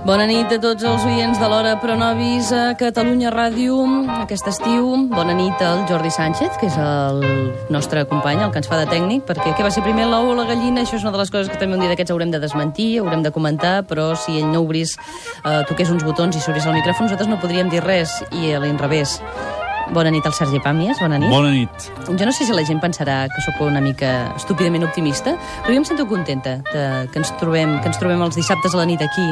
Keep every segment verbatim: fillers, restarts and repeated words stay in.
Bona nit a tots els oients de l'Hora Pronovis a Catalunya Ràdio aquest estiu. Bona nit al Jordi Sánchez, que és el nostre company, el que ens fa de tècnic, perquè què va ser primer l'ou o la gallina? Això és una de les coses que també un dia d'aquests haurem de desmentir, haurem de comentar, però si ell no obrís, eh, toqués uns botons i s'obrís el micròfon, nosaltres no podríem dir res, i a l'inrevés. Bona nit al Sergi Pàmies, bona nit. Bona nit. Jo no sé si la gent pensarà que sóc una mica estúpidament optimista, però jo em sento contenta de, que, ens trobem, que ens trobem els dissabtes a la nit aquí,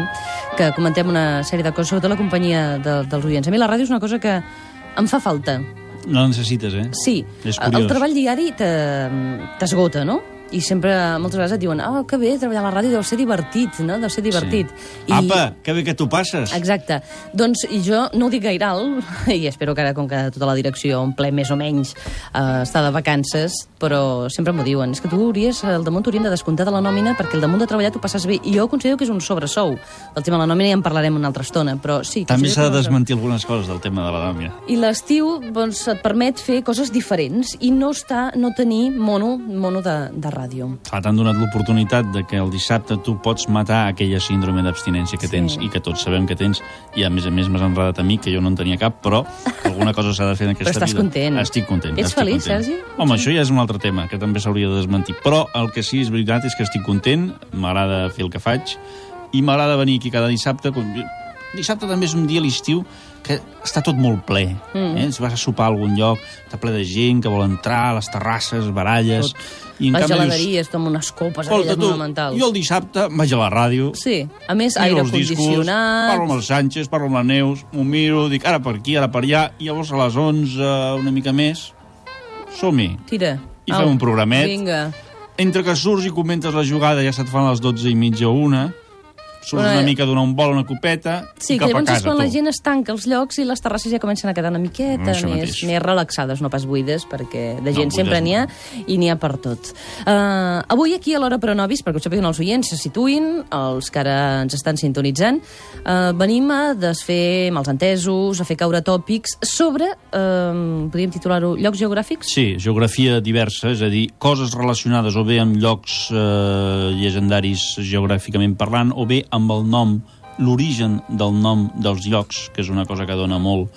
que comentem una sèrie de coses, sobretot la companyia de, dels oients. A mi la ràdio és una cosa que em fa falta. No la necessites, eh? Sí. És curiós. El treball diari t'esgota, no? I sempre, moltes vegades et diuen, ah, oh, que bé, treballar a la ràdio deu ser divertit, no? Deu ser divertit. Sí. I... Apa, que bé que tu passes. Exacte. Doncs i jo no ho dic gaire alt, i espero que ara, com que tota la direcció en ple més o menys eh, està de vacances, però sempre m'ho diuen, és que tu hauries, al damunt t'haurien de descomptar de la nòmina perquè al damunt de treballar tu passes bé. I jo considero que és un sobresou. Del tema de la nòmina ja en parlarem una altra estona, però sí... També s'ha de desmentir algunes coses del tema de la nòmina. I l'estiu, doncs, et permet fer coses diferents i no estar, no tenir mono, mono de, de ràdio. Clar, t'han donat l'oportunitat de que el dissabte tu pots matar aquella síndrome d'abstinència que tens, sí, i que tots sabem que tens, i a més a més m'has enredat a mi, que jo no en tenia cap, però alguna cosa s'ha de fer en aquesta vida. Però estàs vida. content. Estic content. Ets estic feliç, content. Sergi? Home, això ja és un altre tema, que també s'hauria de desmentir. Però el que sí és veritat és que estic content, m'agrada fer el que faig, i m'agrada venir aquí cada dissabte. Dissabte també és un dia a l'estiu que està tot molt ple. Mm. Eh? Si vas a sopar a algun lloc, està ple de gent que vol entrar, a les terrasses, baralles... Tot. I en les canvi geladeries, amb unes copes aquelles monumentals. Jo el dissabte vaig a la ràdio... Sí, a més, aire condicionat... Parlo amb el Sánchez, parlo amb la Neus, m'ho miro, dic ara per aquí, ara per allà, i llavors a les onze, una mica més, som-hi. Tira. I fem un programet. Vinga. Entre que surts i comentes la jugada, ja se't fan les dotze i mitja o una... Surts una, una mica, donar un vol, una copeta, sí, i cap a casa, tu. Sí, que llavors és quan la gent es tanca els llocs i les terrasses ja comencen a quedar una miqueta no, més, més relaxades, no pas buides, perquè de gent no, sempre n'hi ha, no. I n'hi ha per tot. Uh, avui aquí a l'Hora Pronovis, perquè ho sapiguin els oients, se situïn, els que ara ens estan sintonitzant, uh, venim a desfer malentesos, a fer caure tòpics sobre, uh, podríem titular-ho, llocs geogràfics? Sí, geografia diversa, és a dir, coses relacionades o bé amb llocs uh, llegendaris geogràficament parlant, o bé amb el nom, l'origen del nom dels llocs, que és una cosa que dona molt.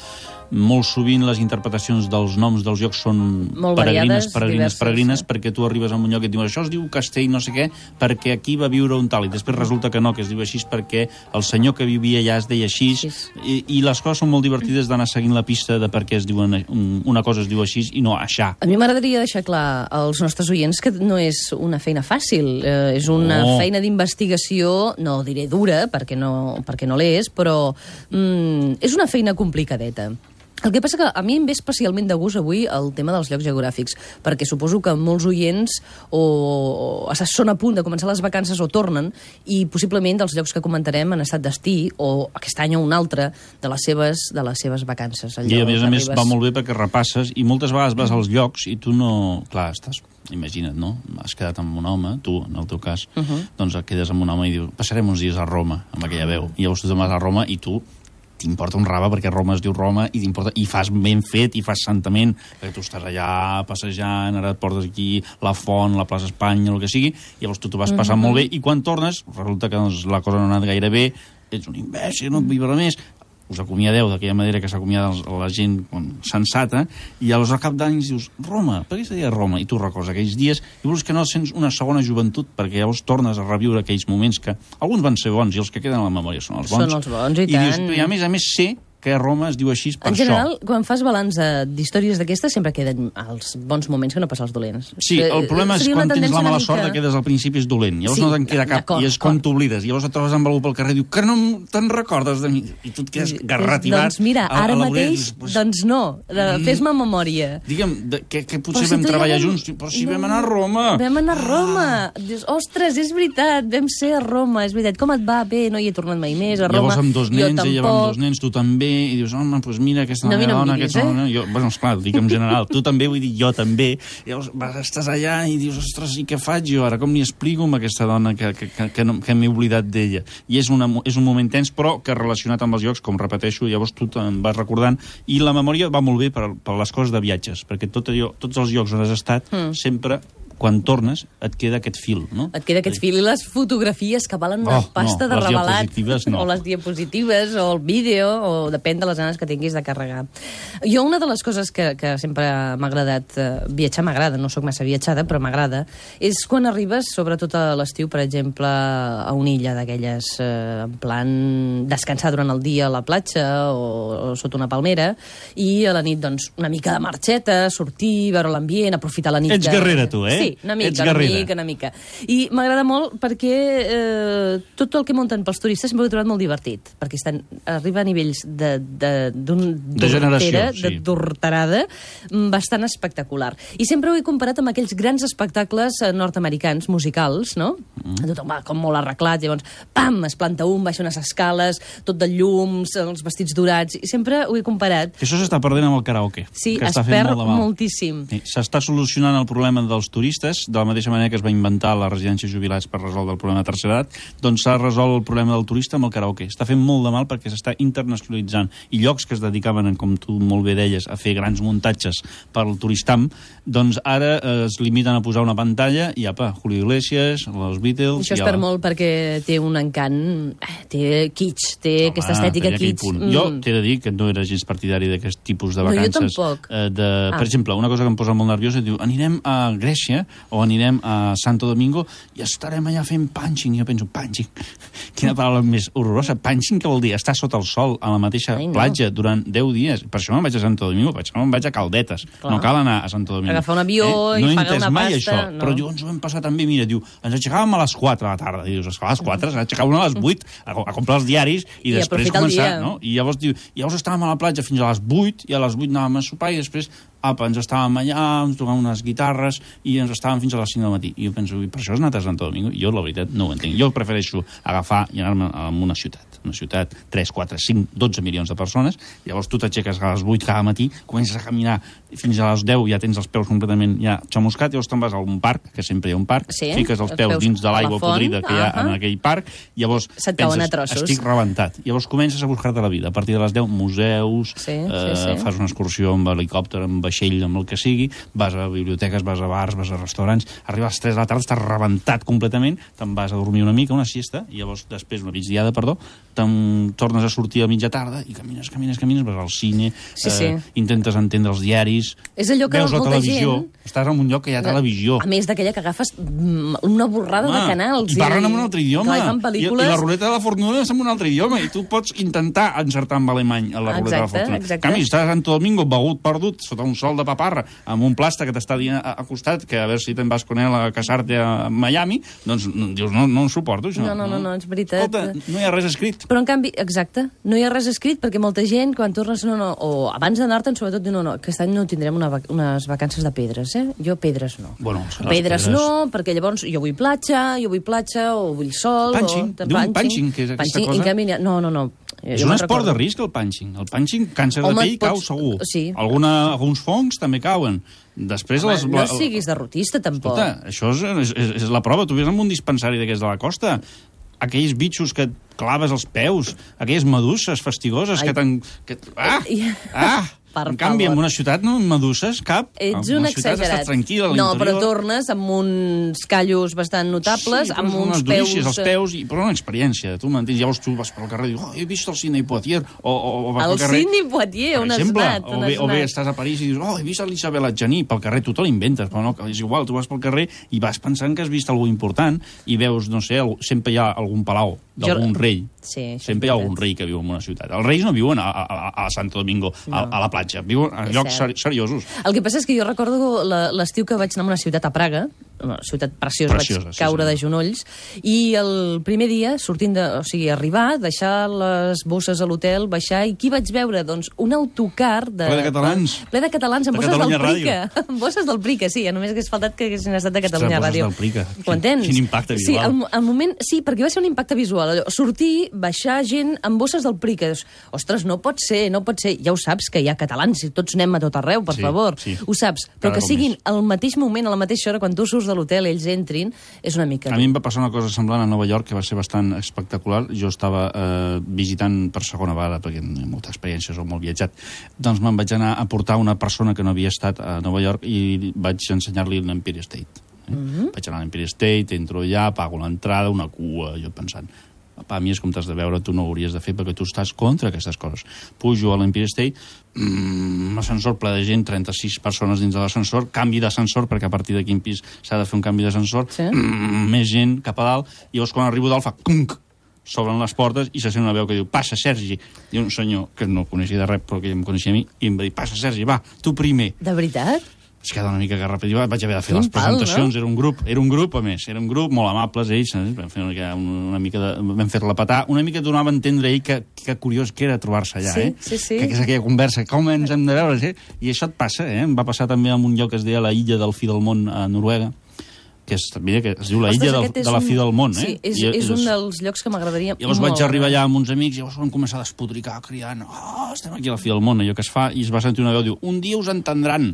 Molt sovint les interpretacions dels noms dels llocs són molt peregrines, variades, peregrines, diverses, peregrines, sí. Perquè tu arribes a un lloc i et diuen això es diu Castell no sé què, perquè aquí va viure un tal, i després resulta que no, que es diu així perquè el senyor que vivia allà es deia així, sí. i, i les coses són molt divertides d'anar seguint la pista de per què es diuen una cosa es diu així i no aixà. A mi m'agradaria deixar clar als nostres oients que no és una feina fàcil, eh, és una no. feina d'investigació, no diré dura, perquè no, perquè no l'és, però mm, és una feina complicadeta. El que passa que a mi em ve especialment de gust avui el tema dels llocs geogràfics, perquè suposo que molts oients o, o són a punt de començar les vacances o tornen, i possiblement dels llocs que comentarem han estat destí, o aquest any o un altre, de les seves, de les seves vacances. Allò, I a més a més va molt bé perquè repasses, i moltes vegades vas als llocs i tu no... Clar, estàs... Imagina't, no? Has quedat amb un home, tu, en el teu cas, uh -huh. doncs et quedes amb un home i dius, passarem uns dies a Roma, amb aquella veu. I llavors tu te'n vas a Roma i tu t'importa un rave perquè Roma es diu Roma i t'importa, i fas ben fet i fas santament, perquè tu estàs allà passejant, ara et portes aquí la font, la plaça Espanya, el que sigui, i llavors tu t'ho vas passant mm-hmm. molt bé, i quan tornes resulta que doncs, la cosa no ha anat gaire bé, ets un imbècil, no et vull veure més, us acomiadeu d'aquella manera que s'acomiada la gent sensata, i llavors al cap d'anys dius, Roma, per què se deia Roma? I tu recordes aquells dies, i vols que no sents una segona joventut, perquè llavors tornes a reviure aquells moments que alguns van ser bons, i els que queden a la memòria són els bons. Són els bons, i, i tant. Dius, i a més a més sé que Roma es diu així per això. En general, això. quan fas balanç d'històries d'aquestes, sempre queden els bons moments que no passen els dolents. Sí, el problema és quan tens la mala sort que quedes al principi és dolent. Llavors sí, no te'n queda cap, i és quan t'oblides. Llavors et trobes amb algú pel carrer i diu que no te'n recordes de mi. I tu et quedes garrativat. Doncs mira, ara a, a mateix, pues, doncs no. Mm, fes-me memòria. Digue'm, de, que, que potser si vam treballar vam... junts, però si no, vam anar a Roma. Vam anar a Roma. Ah. Dius, ostres, és veritat, vam ser a Roma, és veritat. Com et va? Bé, no hi he tornat mai més, a Roma. Llavors amb dos nens, ella va amb dos nens, tu també, i dius, home, doncs mira, aquesta no, meva no dona, diguis, aquesta eh? dona... Jo, bueno, esclar, dic en general, tu també, vull dir, jo també. Llavors vas, estàs allà i dius, ostres, i què faig jo ara? Com li explico amb aquesta dona que, que, que, que, no, que m'he oblidat d'ella? I és, una, és un moment tens, però que relacionat amb els llocs, com repeteixo, llavors tu te'n vas recordant, i la memòria va molt bé per, per les coses de viatges, perquè tot allò, tots els llocs on has estat, mm. sempre quan tornes et queda aquest fil, no? Et queda aquest fil i les fotografies que valen una Oh, pasta no, de les revelat. diapositives no. O les diapositives, o el vídeo, o depèn de les ganes que tinguis de carregar. Jo, una de les coses que, que sempre m'ha agradat, eh, viatjar m'agrada, no sóc massa viatjada, però m'agrada, és quan arribes, sobretot a l'estiu, per exemple, a una illa d'aquelles, eh, en plan descansar durant el dia a la platja o, o sota una palmera, i a la nit, doncs, una mica de marxeta, sortir, veure l'ambient, aprofitar la nit. Ets guerrera, tu, eh? Sí, una mica, Ets una guerrera. mica, una mica. I m'agrada molt perquè eh, tot el que munten pels turistes sempre ho he trobat molt divertit, perquè estan, arriba a nivells de, de, d'un, de generació, d'hortera, sí. de tortarada, bastant espectacular. I sempre ho he comparat amb aquells grans espectacles nord-americans, musicals, no? Mm. Tothom va com molt arreglat, llavors, pam, es planta un, baixa unes escales, tot de llums, els vestits dorats, i sempre ho he comparat. Que això s'està perdent amb el karaoke. Sí, que es està fent perd molt de mal. moltíssim. Sí, s'està solucionant el problema dels turistes, de la mateixa manera que es va inventar la residència jubilats per resoldre el problema de tercera edat, doncs s'ha resolt el problema del turista amb el karaoke. Està fent molt de mal perquè s'està internacionalitzant. I llocs que es dedicaven, com tu molt bé deies, a fer grans muntatges per al turistam, doncs ara eh, es limiten a posar una pantalla i apa, Julio Iglesias, els Beatles... Això es perd molt perquè té un encant, té kitsch, té Home, aquesta estètica kitsch. Mm. Jo t'he de dir que no era gens partidari d'aquest tipus de vacances. No, jo tampoc. Eh, de, ah. Per exemple, una cosa que em posa molt nerviosa, diu, anirem a Grècia o anirem a Santo Domingo i estarem allà fent punching. I jo penso, punching? Quina paraula més horrorosa. Punching, què vol dir? Estar sota el sol a la mateixa Ai, no. platja durant deu dies. Per això me'n vaig a Santo Domingo, per això me'n vaig a Caldetes. Clar. No cal anar a Santo Domingo. Agafar un avió eh? i no pagar una mai pasta. Això, no. però llavors ho vam passar també, mira, diu, ens aixecàvem a les quatre de la tarda. I dius, esclar, a les quatre, s'ha aixecat una a les vuit a, a comprar els diaris i, I després començar, no? I llavors diu, llavors estàvem a la platja fins a les vuit i a les vuit anàvem a sopar i després apa, ens estàvem allà, ens tocàvem unes guitarres i ens estàvem fins a les cinc del matí. I jo penso, per això has anat a Santo Domingo? Jo, la veritat, no ho entenc. Jo prefereixo agafar i anar-me a una ciutat. Una ciutat, tres, quatre, cinc, dotze milions de persones. Llavors tu t'aixeques a les vuit cada matí, comences a caminar fins a les deu, ja tens els peus completament ja xamuscat, llavors te'n vas a un parc, que sempre hi ha un parc, sí, fiques els peus, peus dins de l'aigua podrida que hi ha uh -huh. en aquell parc, llavors se't penses, estic rebentat. Llavors comences a buscar-te la vida. A partir de les deu, museus, sí, eh, sí, sí. fas una excursió amb helicòpter, amb vaixell, amb el que sigui, vas a biblioteques, vas a bars, vas a restaurants, arribes a les tres de la tarda, estàs rebentat completament, te'n vas a dormir una mica, una siesta, i llavors després, una migdiada, perdó, te'n tornes a sortir a mitja tarda i camines, camines, camines, vas al cine, sí, eh, sí. intentes entendre els diaris, és allò que veus la molta televisió, gent... estàs en un lloc que hi ha televisió. A més d'aquella que agafes una borrada Home, de canals. I parlen en un altre idioma. I, I, I la ruleta de la fortuna és en un altre idioma, i tu pots intentar encertar amb alemany a la ruleta exacte, de la fortuna. Exacte. En canvi, estàs a Santo Domingo, begut, perdut, sota un sol de paparra, amb un plasta que t'està dient a, a costat que a veure si te'n vas con ell a casar-te a Miami, doncs dius, no, no ho suporto, això. No, no, no, no, és veritat. Escolta, no hi ha res escrit. Però, en canvi, exacte, no hi ha res escrit perquè molta gent, quan tornes, no, no, o abans d'anar-te'n, sobretot, diu, no, no, aquest any no tindrem una, unes vacances de pedres, eh? Jo pedres no. Bueno, pedres, pedres no, perquè llavors jo vull platja, jo vull platja, o vull sol... Punching, o, diu un punching, que és aquesta punching, cosa. Canvi, no, no, no. És un esport de risc, el punching. El punching, càncer Home, de pell, pots... cau segur. Sí. Alguna, alguns fongs també cauen. Després Home, les... no siguis derrotista, tampoc. Escolta, això és, és, és la prova. Tu ves en un dispensari d'aquests de la costa, aquells bitxos que et claves els peus, aquelles meduses fastigoses Ai. que t'han... Que... Ah! Ah! Per en canvi, favor. En una ciutat no meduses cap. Ets en un una ciutat exagerat. Estàs tranquil a no, però tornes amb uns callos bastant notables, sí, amb uns peus... peus... els peus, i, però una experiència, tu m'entens? Llavors tu vas pel carrer i dius, oh, he vist el Sidney Poitier, o, o, o vas el pel carrer... El Sidney Poitier, on has anat? O bé, o bé estàs a París i dius, oh, he vist l'Isabel Adjani, pel carrer, tu te l'inventes, però no, és igual, tu vas pel carrer i vas pensant que has vist alguna important i veus, no sé, sempre hi ha algun palau d'algun jo... rei. Sí, sempre hi ha algun rei que viu en una ciutat. Els reis no viuen a, a, a Santo Domingo, no. a, a la platja, viuen a llocs ser, seriosos. El que passa és que jo recordo l'estiu que vaig anar a una ciutat a Praga, una ciutat preciosa, preciosa vaig caure sí, sí. de genolls, i el primer dia, sortint de... O sigui, arribar, deixar les bosses a l'hotel, baixar, i qui vaig veure? Doncs un autocar de... Ple de catalans. Ple de catalans, amb de bosses Catalunya del Prica. Amb bosses del Prica, sí, només hagués faltat que haguessin estat de Catalunya Ostres, Ràdio. Bosses del Prica. Ho entens? Quin impacte visual. Sí, al, al moment... Sí, perquè va ser un impacte visual. Allò, sortir, baixar gent amb bosses del Prica. Ostres, no pot ser, no pot ser. Ja ho saps, que hi ha catalans i tots anem a tot arreu, per sí, favor. Sí. Ho saps. Però Cada que siguin al mateix moment, a la mateixa hora, quan tu surts de l'hotel, ells entrin, és una mica... A mi em va passar una cosa semblant a Nova York, que va ser bastant espectacular. Jo estava eh, visitant per segona vegada, perquè no hi ha molta experiència, soc molt viatjat. Doncs me'n vaig anar a portar una persona que no havia estat a Nova York i vaig ensenyar-li l'Empire State. Eh? Mm-hmm. Vaig anar a l'Empire State, entro allà, pago l'entrada, una cua, jo pensant... A mi és com t'has de veure, tu no ho hauries de fer perquè tu estàs contra aquestes coses. Pujo a l'Empire State, mmm, ascensor ple de gent, trenta-sis persones dins de l'ascensor, canvi d'ascensor, perquè a partir de quin pis s'ha de fer un canvi d'ascensor, sí? mmm, més gent cap a dalt, i llavors quan arribo dalt fa cunc, s'obren les portes i se sent una veu que diu, passa, Sergi. I un senyor que no coneixia de res, però que ja em coneixia a mi, i em va dir, passa, Sergi, va, tu primer. De veritat? Es queda una mica garrapet, vaig haver de fer les presentacions, no? Era un grup, era un grup, a més, era un grup molt amables, ells, eh? vam fer una, una mica de... vam fer-la petar, una mica donava a entendre ell que, que curiós que era trobar-se allà, sí, eh? Sí, sí. Que, que és aquella conversa, com ens hem de veure, eh? I això et passa, eh? Em va passar també en un lloc que es deia la Illa del Fi del Món, a Noruega, que és, mira, que es diu la Illa del, de la Fi del Món, eh? Sí, és, I, és un dels llocs que m'agradaria molt. Llavors vaig arribar allà amb uns amics i llavors vam començar a despotricar, cridant, oh, estem aquí a la Fi del Món, allò que es fa, i es va sentir una veu, diu, un dia us entendran.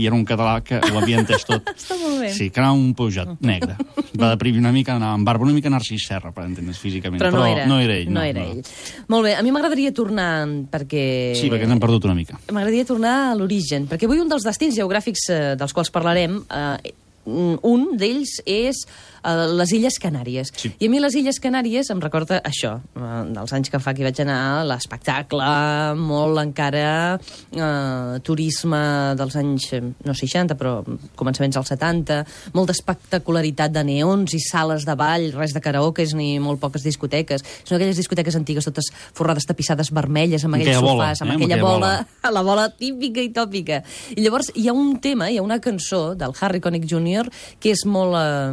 I era un català que ho havia entès tot. Està molt bé. Sí, que anava un pujat negre. Va deprimir una mica, anava amb barba, una mica Narcís Serra, per entendre's físicament. Però no, Però era, no era ell. No, no era no. ell. Molt bé, a mi m'agradaria tornar, perquè... Sí, perquè n'hem perdut una mica. M'agradaria tornar a l'origen, perquè avui un dels destins geogràfics eh, dels quals parlarem... Eh, un d'ells és uh, les Illes Canàries. Sí. I a mi les Illes Canàries em recorda això, uh, dels anys que fa que hi vaig anar, l'espectacle, molt encara uh, turisme dels anys, no seixanta, però començaments als setanta, molta espectacularitat de neons i sales de ball, res de karaokes ni molt poques discoteques. Són aquelles discoteques antigues totes forrades tapissades vermelles, amb aquells sofàs, amb, eh, amb aquella bola, bola, la bola típica i tòpica. I llavors hi ha un tema, hi ha una cançó del Harry Connick júnior que és molt eh,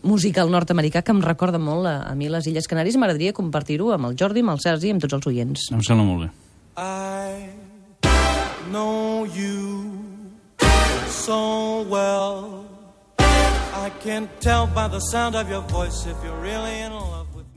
musical nord-americà, que em recorda molt a, a mi les Illes Canàries. M'agradaria compartir-ho amb el Jordi, amb el Sergi i amb tots els oients. Em sembla molt bé. I know you so well. I can tell by the sound of your voice if you're really in love.